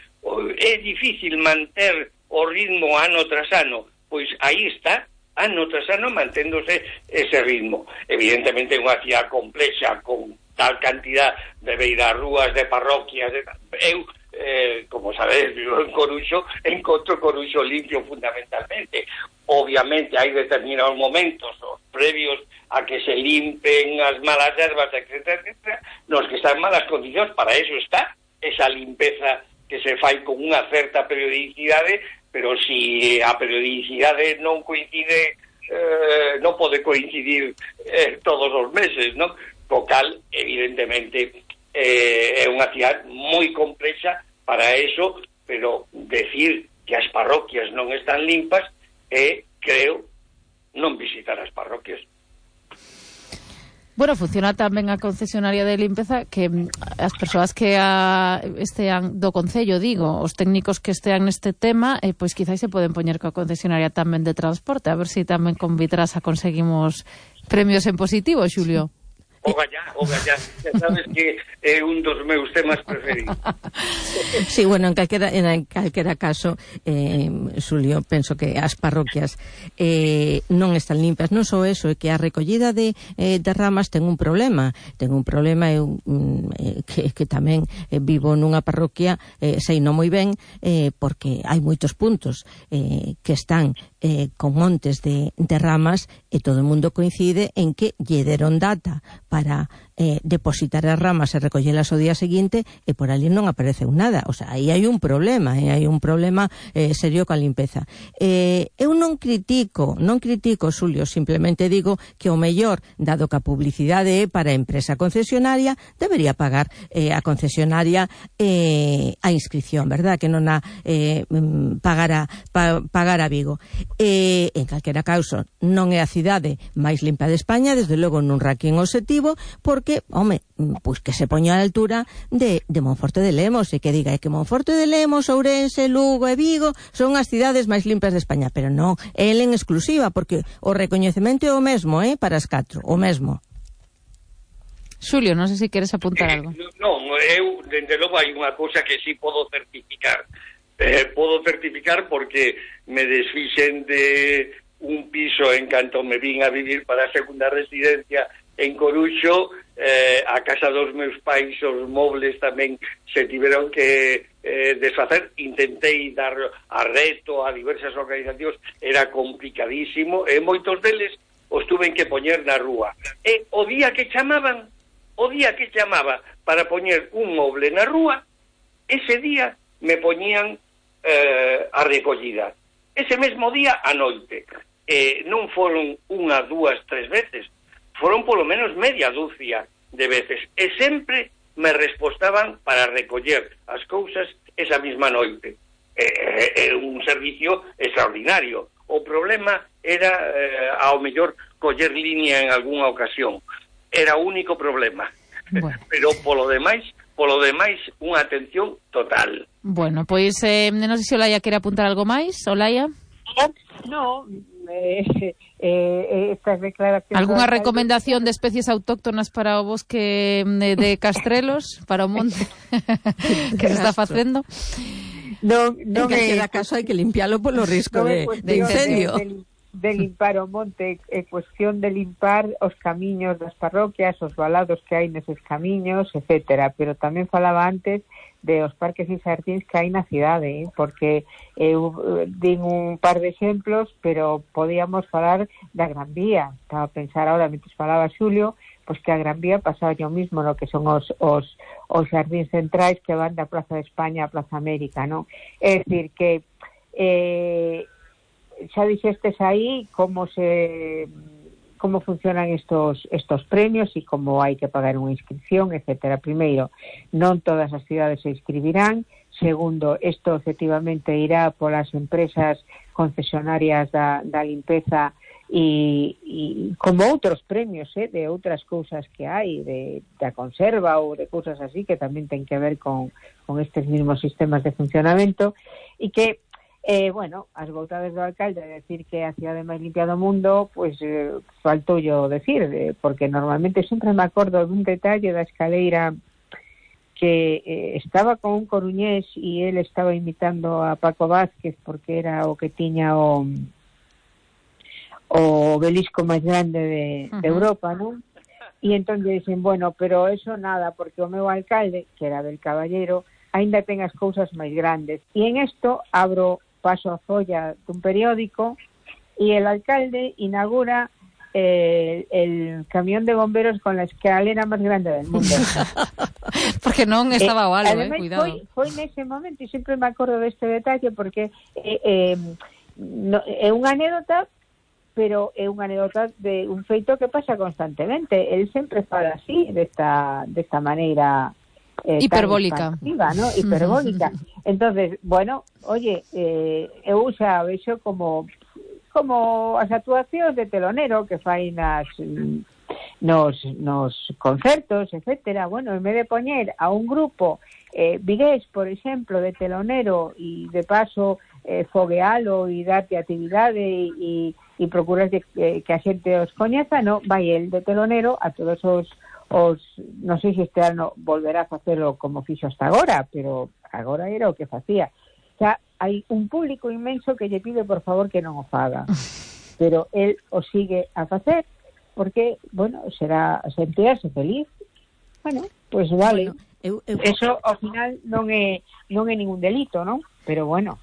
é difícil manter o ritmo ano tras ano, pois aí está, ano tras ano manténdose ese ritmo. Evidentemente é unha cidade complexa, con tal cantidad de beirarrúas, de parroquias, de... eu, eh, como sabedes, vivo en Coruxo, encontro Coruxo limpio fundamentalmente. Obviamente hai determinados momentos, os previos a que se limpen as malas herbas, etcétera, etcétera, nos que están en malas condicións, para eso está esa limpeza que se fai con unha certa periodicidade, pero si a periodicidade non coincide, eh, non pode coincidir eh, todos os meses, non? Co cal, evidentemente, eh, é unha cidade moi complexa para eso, pero decir que as parroquias non están limpas é, creo, non visitar as parroquias. Bueno, funciona tamén a concesionaria de limpeza que as persoas que a, estean do Concello, digo, os técnicos que estean neste tema, eh, pois quizás se poden poñer coa concesionaria tamén de transporte, a ver se si tamén con Vitrasa conseguimos premios en positivo, Xulio. O gallá, o gallá, xa sabes que é un dos meus temas preferidos. Sí, bueno, en calquera, en calquera caso, eh, Xulio, penso que as parroquias eh, non están limpas. Non só eso, é que a recollida de, eh, de ramas ten un problema. Ten un problema eu, eh, que, que tamén eh, vivo nunha parroquia, eh, sei non moi ben, eh, porque hai moitos puntos eh, que están eh, con montes de, de ramas e todo o mundo coincide en que lle deron data para eh, depositar as ramas e recollelas o día seguinte e por ali non apareceu nada. O sea, aí hai un problema, eh, hai un problema eh, serio coa limpeza. Eh, eu non critico, non critico, Xulio, simplemente digo que o mellor, dado que a publicidade é para a empresa concesionaria, debería pagar eh, a concesionaria eh, a inscripción, verdad? Que non a eh, pagar, a, pa, pagar a Vigo. Eh, en calquera causa, non é a cidade máis limpa de España, desde logo nun ranking objetivo, porque, home, pois que se poña a altura de, de Monforte de Lemos e que diga que Monforte de Lemos, Ourense, Lugo e Vigo son as cidades máis limpas de España, pero non, é el en exclusiva, porque o recoñecemento é o mesmo, eh, para as catro, o mesmo. Xulio, non sei se queres apuntar eh, algo. Non, eu, dende logo, hai unha cousa que sí podo certificar. Eh, podo certificar porque me desfixen de un piso en canto me vin a vivir para a segunda residencia en Coruxo, eh, a casa dos meus pais, os mobles tamén se tiveron que eh, desfacer. Intentei dar a reto a diversas organizacións, era complicadísimo, e moitos deles os tuven que poñer na rúa. E o día que chamaban, o día que chamaba para poñer un moble na rúa, ese día me poñían eh, a recollida. Ese mesmo día a noite. Eh, non foron unha, dúas, tres veces, foron polo menos media dúcia de veces, e sempre me respostaban para recoller as cousas esa mesma noite. É eh, eh, un servicio extraordinario. O problema era, eh, ao mellor, coller línea en algunha ocasión. Era o único problema. Bueno. Pero, polo demais, polo demais, unha atención total. Bueno, pois, eh, non sei se Olaya quere apuntar algo máis. Olaya? No, eh, eh, estas declaracións... Alguna recomendación de especies autóctonas para o bosque de, de Castrelos, para o monte que se está facendo? Non, non en é... cada caso hai que limpialo polo risco non de, é de incendio. De, de, de limpar o monte, é cuestión de limpar os camiños das parroquias, os valados que hai neses camiños, etcétera. Pero tamén falaba antes de os parques e xardíns que hai na cidade, eh? Porque eu din un par de exemplos, pero podíamos falar da Gran Vía. Estaba a pensar ahora, mentre falaba Xulio, pois que a Gran Vía pasaba o mismo, no que son os, os, os xardíns centrais que van da Plaza de España a Plaza América, non? É dicir, que eh, xa dixestes aí como se como funcionan estos estos premios e como hai que pagar unha inscripción, etcétera. Primeiro, non todas as cidades se inscribirán. Segundo, isto efectivamente irá polas empresas concesionarias da, da limpeza e, e como outros premios, eh, de outras cousas que hai, de, da conserva ou de cousas así que tamén ten que ver con, con estes mismos sistemas de funcionamento, e que Eh, bueno, as vontades do alcalde de decir que a cidade máis limpia do mundo, pois eh, faltou yo decir, eh, porque normalmente sempre me acordo dun detalle da escaleira que eh, estaba con un coruñés e ele estaba imitando a Paco Vázquez porque era o que tiña o o obelisco máis grande de, uh-huh. de Europa, non? E entón dicen, bueno, pero eso nada, porque o meu alcalde, que era del Caballero, aínda ten as cousas máis grandes. E en isto abro paso a folla dun periódico e el alcalde inaugura eh, el camión de bomberos con la escalera máis grande del mundo. Porque non estaba o algo, eh, eh cuidado. Foi, foi nese momento, e sempre me acordo deste detalle, porque eh, eh, no, é unha anécdota, pero é unha anécdota de un feito que pasa constantemente. El sempre fala así, desta, desta maneira... Eh, hiperbólica, ¿no? Hiperbólica. Entonces, bueno, oye, eh, eu xa vexo como como as actuacións de telonero que fai nas nos, nos concertos, etcétera. Bueno, en vez de poñer a un grupo eh, vigués, por exemplo, de telonero e de paso eh, foguealo e darte actividade e, e procurar que, que a xente os coñeza, no, vai el de telonero a todos os os, non sei se este ano volverá a facelo como fixo hasta agora, pero agora era o que facía. O sea, hai un público inmenso que lle pide por favor que non o faga, pero el o sigue a facer porque, bueno, será sentirse feliz. Bueno, pois pues vale. Bueno, eu, eu... Eso ao final non é non é ningún delito, non? Pero bueno.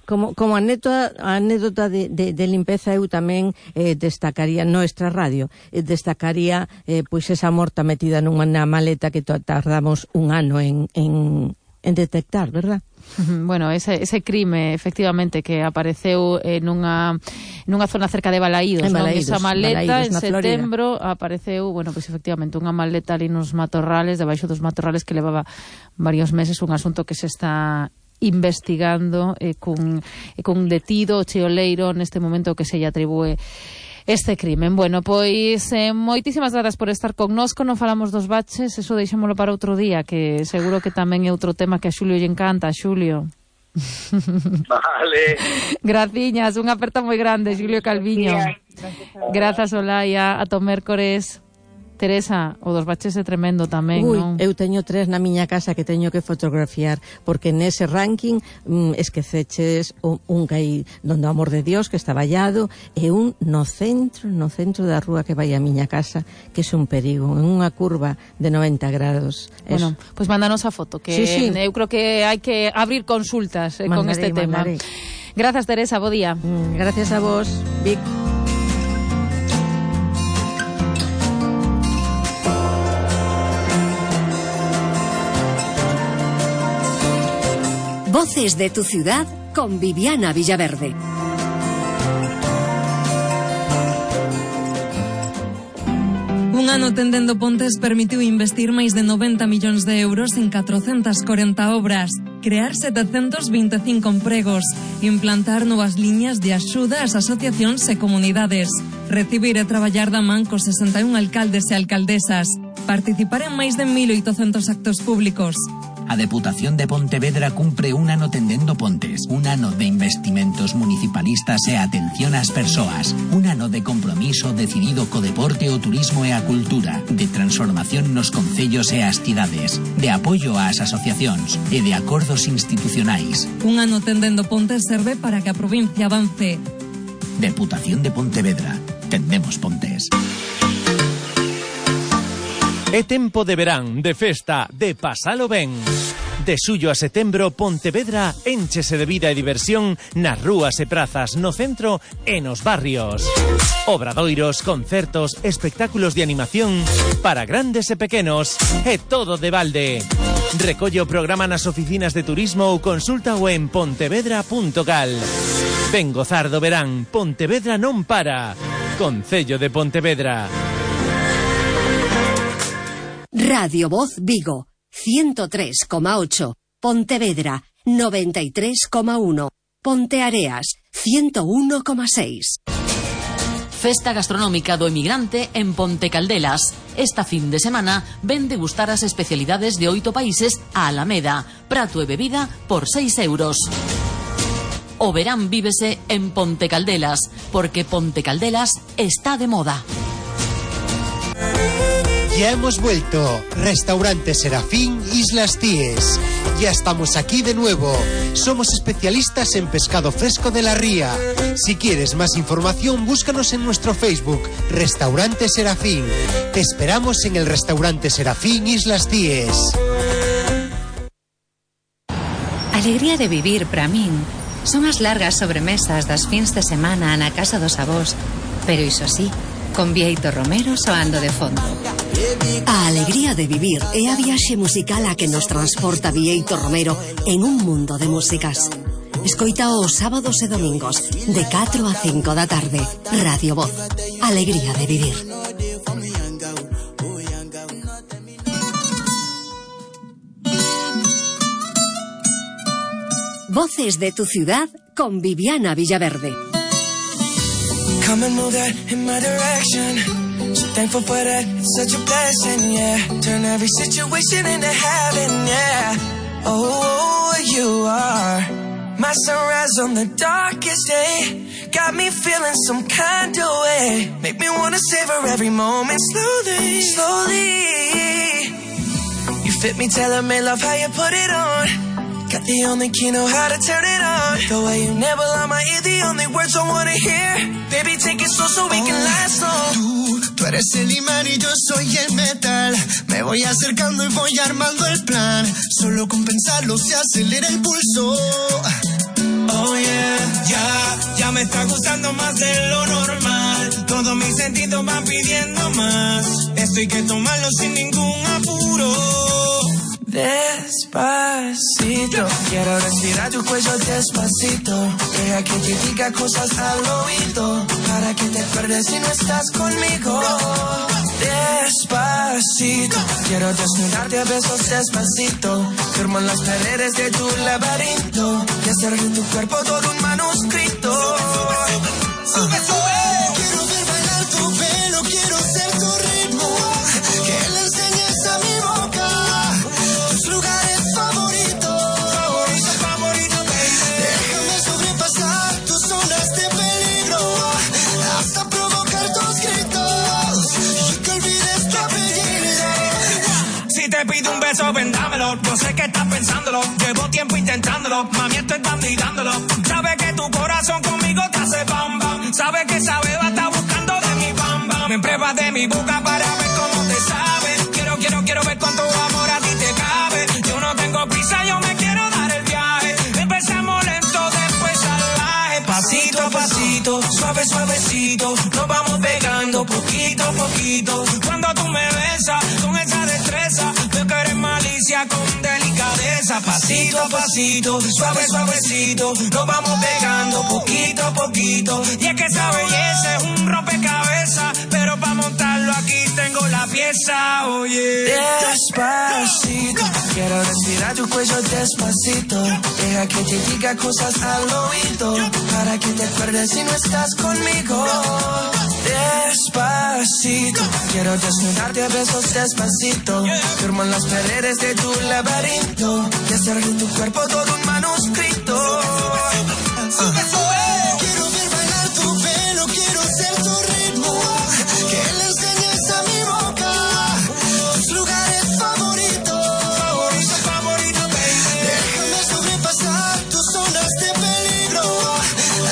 Como, como anécdota, anécdota de, de, de limpeza, eu tamén eh, destacaría nuestra radio, eh, destacaría eh, pois esa morta metida nunha maleta que tardamos un ano en, en, en detectar, verdad? Bueno, ese, ese crime, efectivamente, que apareceu eh, nunha, nunha zona cerca de Balaídos, non? Esa maleta, Balaídos, en setembro, Florida. Apareceu, bueno, pois pues, efectivamente, unha maleta ali nos matorrales, debaixo dos matorrales, que levaba varios meses, un asunto que se está investigando eh, cun, eh, cun detido cheoleiro neste momento que se lle atribúe este crimen. Bueno, pois eh, moitísimas grazas por estar connosco. Non falamos dos baches, eso deixémolo para outro día, que seguro que tamén é outro tema que a Xulio lle encanta. Xulio. Vale. Graciñas, unha aperta moi grande, Xulio Calviño. Grazas, Olaya, ata o mércores. Teresa, o dos baches é tremendo tamén, Ui, non? Eu teño tres na miña casa que teño que fotografiar, porque nese ranking mm, esqueceches un, un que hai donde o amor de Dios, que está vallado, e un no centro, no centro da rúa que vai a miña casa, que é un perigo, en unha curva de noventa grados. Bueno, pois pues mándanos a foto, que sí, sí. Eu creo que hai que abrir consultas eh, mandaré, con este tema. Mandaré. Grazas, Teresa, bo día. Mm, gracias a vos, Vic. Voces de tu ciudad con Viviana Villaverde. Unha Un ano tendendo pontes permitiu investir máis de noventa millóns de euros en catrocentas corenta obras, crear setecentos vinte e cinco empregos, implantar novas liñas de axuda ás asociacións e comunidades, recibir e traballar da man cos sesenta e un alcaldes e alcaldesas, participar en máis de mil oitocentos actos públicos. A Deputación de Pontevedra cumpre un ano tendendo pontes, un ano de investimentos municipalistas e atención ás persoas, un ano de compromiso decidido co deporte, o turismo e a cultura, de transformación nos concellos e as cidades, de apoio ás asociacións e de acordos institucionais. Un ano tendendo pontes serve para que a provincia avance. Deputación de Pontevedra. Tendemos pontes. É tempo de verán, de festa, de pasalo ben. De xullo a setembro, Pontevedra énchese de vida e diversión nas rúas e prazas, no centro e nos barrios. Obradoiros, concertos, espectáculos de animación para grandes e pequenos, e todo de balde. Recolle o programa nas oficinas de turismo ou consulta o en pontevedra punto gal. Ven gozar do verán, Pontevedra non para. Concello de Pontevedra. Radio Voz Vigo, ciento tres coma ocho. Pontevedra, noventa y tres coma uno. Ponteareas, ciento uno coma seis. Festa gastronómica do emigrante en Ponte Caldelas. Esta fin de semana ven degustar as especialidades de oito países a Alameda. Prato e bebida por seis euros. O verán vívese en Ponte Caldelas, porque Ponte Caldelas está de moda. Ya hemos vuelto. Restaurante Serafín, Islas Cíes. Ya estamos aquí de nuevo. Somos especialistas en pescado fresco de la ría. Si quieres más información, búscanos en nuestro Facebook, Restaurante Serafín. Te esperamos en el Restaurante Serafín, Islas Cíes. Alegría de vivir para min son as largas sobremesas das fins de semana na casa dos avós, pero iso sí, con Vieito Romero soando de fondo. A alegría de vivir é a viaxe musical a que nos transporta Vieito Romero en un mundo de músicas. Escoita os sábados e domingos de catro a cinco da tarde. Radio Voz. Alegría de vivir. Voces de tu ciudad con Viviana Villaverde. Come and move that in my direction. So thankful for that, it's such a blessing, yeah. Turn every situation into heaven, yeah. Oh, you are my sunrise on the darkest day. Got me feeling some kind of way. Make me wanna savor every moment slowly, slowly. You fit me, tailor-made, love how you put it on. Got the only key, know how to turn it on. The way you never lie my ear, the only words I wanna hear. Baby, take it slow so we can last long. Tú, tú eres el imán y yo soy el metal. Me voy acercando y voy armando el plan. Solo con pensarlo se acelera el pulso. Oh yeah, ya, ya me está gustando más de lo normal. Todos mis sentidos van pidiendo más. Esto hay que tomarlo sin ningún apuro. Despacito, quiero respirar tu cuello despacito. Deja que te diga cosas al oído, para que te acuerdes si no estás conmigo. Despacito, quiero desnudarte a besos despacito. Firmo en las paredes de tu laberinto y hacer de tu cuerpo todo un manuscrito. Sube, sube. Quiero ver bailar tu pelo, quiero ser tu ritmo. Que le enseñes a mi boca tus lugares favoritos. Favorito, favorito, baby. Déjame sobrepasar tus zonas de peligro hasta provocar tus gritos y que olvides tu apellido. Si te pido un beso, ven dámelo. Yo sé que estás pensándolo, llevo tiempo intentándolo. Mami, estoy dando y dándolo. Sabes que tu corazón conmigo te hace bam bam. Sabes que esa beba está buscando de mi bam bam. Me pruebas de mi boca para ver cómo te sabe. Quiero, quiero, quiero ver cuánto amor a ti te cabe. Yo no tengo prisa, yo me quiero dar el viaje. Empezamos lento, después salvaje. Pasito a pasito, suave, suavecito. Nos vamos pegando poquito a poquito. Cuando tú me besas con esa destreza, veo que eres malicia con delicadeza. Pasito a pasito, suave, suavecito. Nos vamos pegando poquito a poquito. Y es que esa belleza es un rompecabezas, pero para montarlo aquí tengo la empieza, oye. Despacito, quiero respirar tu cuello despacito. Deja que te diga cosas al oído, para que te acuerdes si no estás conmigo. Despacito, quiero desnudarte a besos despacito. Firmo en las paredes de tu laberinto y hacer de tu cuerpo todo un manuscrito. Uh. Quiero ver bailar tu pelo, quiero ser tu ritmo, que le enseñes a mi boca tus lugares favoritos. Favorito, favorito, baby. Déjame sobrepasar tus zonas de peligro,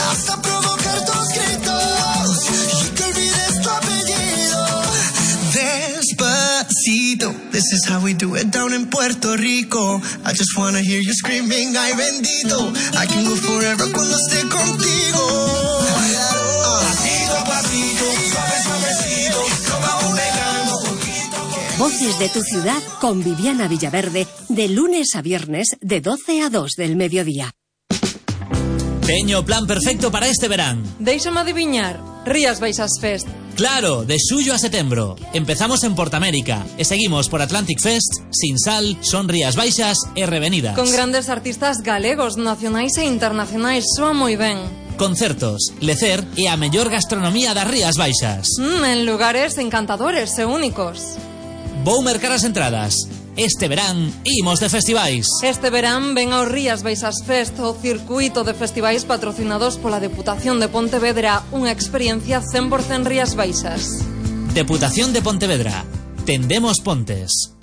hasta provocar tus gritos y que olvides tu apellido. Despacito, this is how we do it down in Puerto Rico. I just wanna hear you screaming, ay bendito. I can go forever cuando esté contigo. Pasito a pasito, suave suavecito, lo vamos pegando poquito. Voces de tu ciudad con Viviana Villaverde, de lunes a viernes de doce a dos del mediodía. Teño plan perfecto para este verán. Déixame adiviñar, Rías Baixas Fest. Claro, de xullo a setembro. Empezamos en Portamérica e seguimos por Atlantic Fest, Sinsal, Son Rías Baixas e Revenidas. Con grandes artistas galegos, nacionais e internacionais, soa moi ben. Concertos, lecer e a mellor gastronomía das Rías Baixas. Mm, en lugares encantadores e únicos. Vou mercar as entradas. Este verán imos de festivais. Este verán ven ao Rías Baixas Fest, o circuito de festivais patrocinados pola Deputación de Pontevedra, unha experiencia cen por cen Rías Baixas. Deputación de Pontevedra. Tendemos pontes.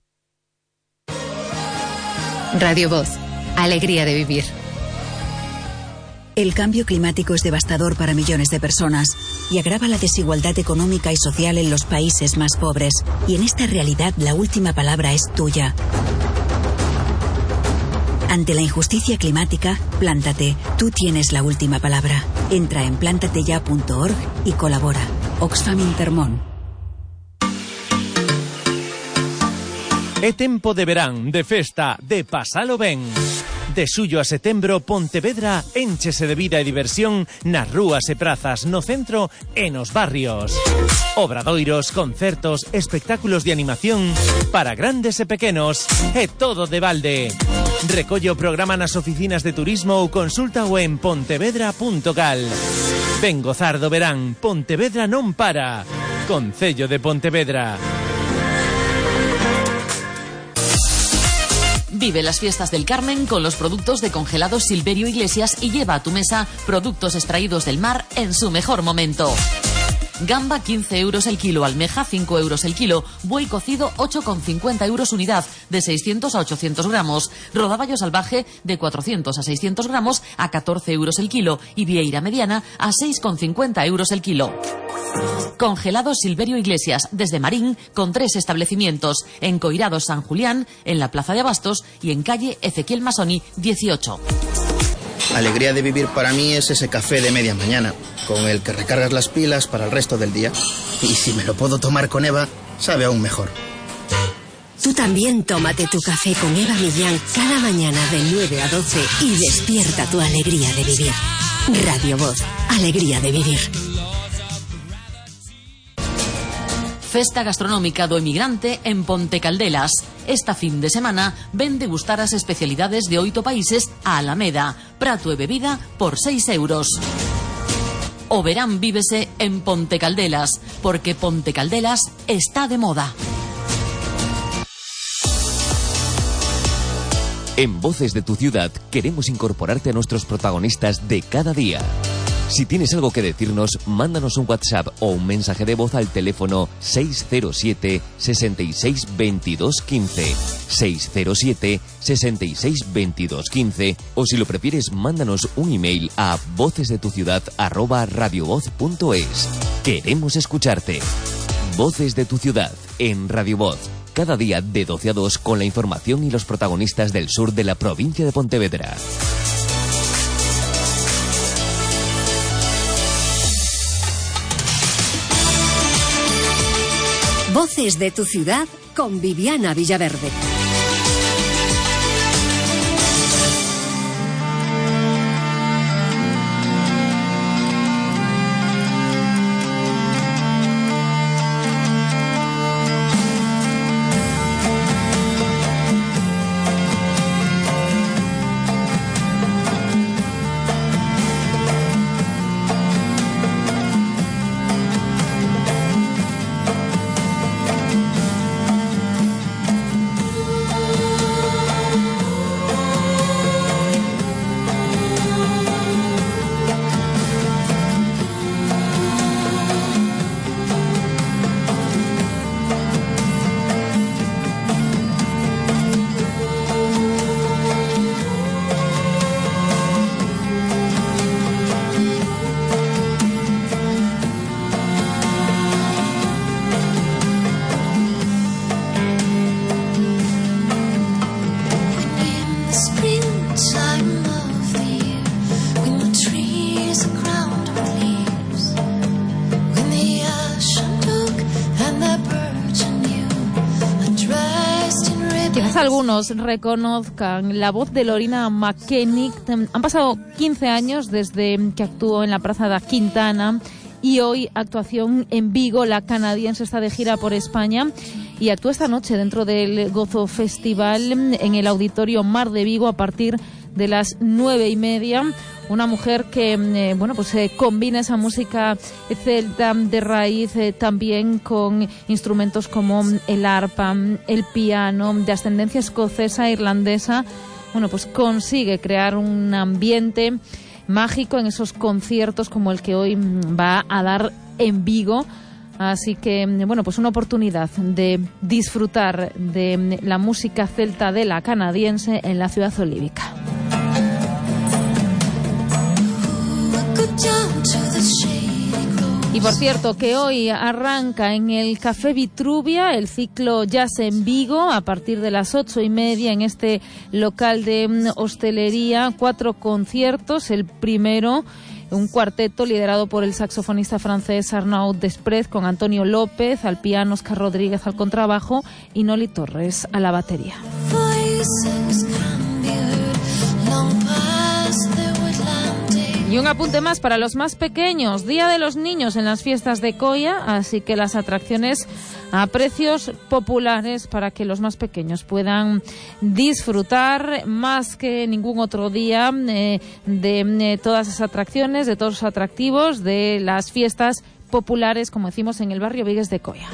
Radio Voz. Alegría de vivir. El cambio climático es devastador para millones de personas y agrava la desigualdad económica y social en los países más pobres. Y en esta realidad la última palabra es tuya. Ante la injusticia climática, plántate. Tú tienes la última palabra. Entra en plántateya punto org y colabora. Oxfam Intermón. É tempo de verán, de festa, de pasalo ben. De xullo a setembro, Pontevedra énchese de vida e diversión nas rúas e prazas, no centro e nos barrios. Obradoiros, concertos, espectáculos de animación para grandes e pequenos, e todo de balde. Recolle o programa nas oficinas de turismo ou consúltao en pontevedra punto cal. Ven gozar do verán, Pontevedra non para. Concello de Pontevedra. Vive las fiestas del Carmen con los productos de congelados Silverio Iglesias y lleva a tu mesa productos extraídos del mar en su mejor momento. Gamba quince euros el kilo, almeja cinco euros el kilo, buey cocido ocho con cincuenta euros unidad de seiscientos a ochocientos gramos, rodaballo salvaje de cuatrocientos a seiscientos gramos a catorce euros el kilo y vieira mediana a seis con cincuenta euros el kilo. Congelados Silverio Iglesias desde Marín con tres establecimientos en Coirados San Julián, en la Plaza de Abastos y en calle Ezequiel Masoni dieciocho. Alegría de vivir para mí es ese café de media mañana, con el que recargas las pilas para el resto del día. Y si me lo puedo tomar con Eva, sabe aún mejor. Tú también tómate tu café con Eva Millán cada mañana de nueve a doce y despierta tu alegría de vivir. Radio Voz, alegría de vivir. Festa gastronómica do emigrante en Ponte Caldelas. Esta fin de semana ven degustar as especialidades de oito países a Alameda. Prato e bebida por seis euros. O verán vívese en Ponte Caldelas, porque Ponte Caldelas está de moda. En Voces de tu Ciudad queremos incorporarte a nuestros protagonistas de cada día. Si tienes algo que decirnos, mándanos un WhatsApp o un mensaje de voz al teléfono seis cero siete, sesenta y seis, veintidós, quince, seis cero siete, sesenta y seis, veintidós, quince, o si lo prefieres, mándanos un email a vocesdetuciudad arroba radiovoz punto es. Queremos escucharte. Voces de tu Ciudad en Radio Voz. Cada día de doce a dos con la información y los protagonistas del sur de la provincia de Pontevedra. Voces de tu Ciudad con Viviana Villaverde. algunos reconozcan la voz de Lorina McKennick. Han pasado quince años desde que actuó en la Praza da Quintana y hoy actuación en Vigo. La canadiense está de gira por España y actúa esta noche dentro del Gozo Festival en el Auditorio Mar de Vigo a partir de las nueve y media. Una mujer que eh, bueno pues eh, combina esa música celta de raíz eh, también con instrumentos como el arpa, el piano, de ascendencia escocesa, irlandesa. Bueno, pues consigue crear un ambiente mágico en esos conciertos como el que hoy va a dar en Vigo. Así que, bueno, pues una oportunidad de disfrutar de la música celta de la canadiense en la ciudad olívica. Y por cierto, que hoy arranca en el Café Vitruvia el ciclo Jazz en Vigo a partir de las ocho y media en este local de hostelería. Cuatro conciertos. El primero, un cuarteto liderado por el saxofonista francés Arnaud Desprez, con Antonio López al piano, Oscar Rodríguez al contrabajo y Noli Torres a la batería. Y un apunte más para los más pequeños, Día de los Niños en las fiestas de Coia, así que las atracciones a precios populares para que los más pequeños puedan disfrutar más que ningún otro día eh, de eh, todas esas atracciones, de todos los atractivos de las fiestas populares, como decimos, en el barrio Vigues de Coia.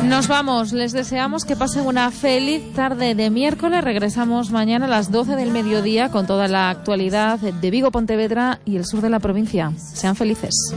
Nos vamos, les deseamos que pasen una feliz tarde de miércoles. Regresamos mañana a las doce del mediodía con toda la actualidad de Vigo, Pontevedra y el sur de la provincia. Sean felices.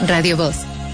Radio Voz,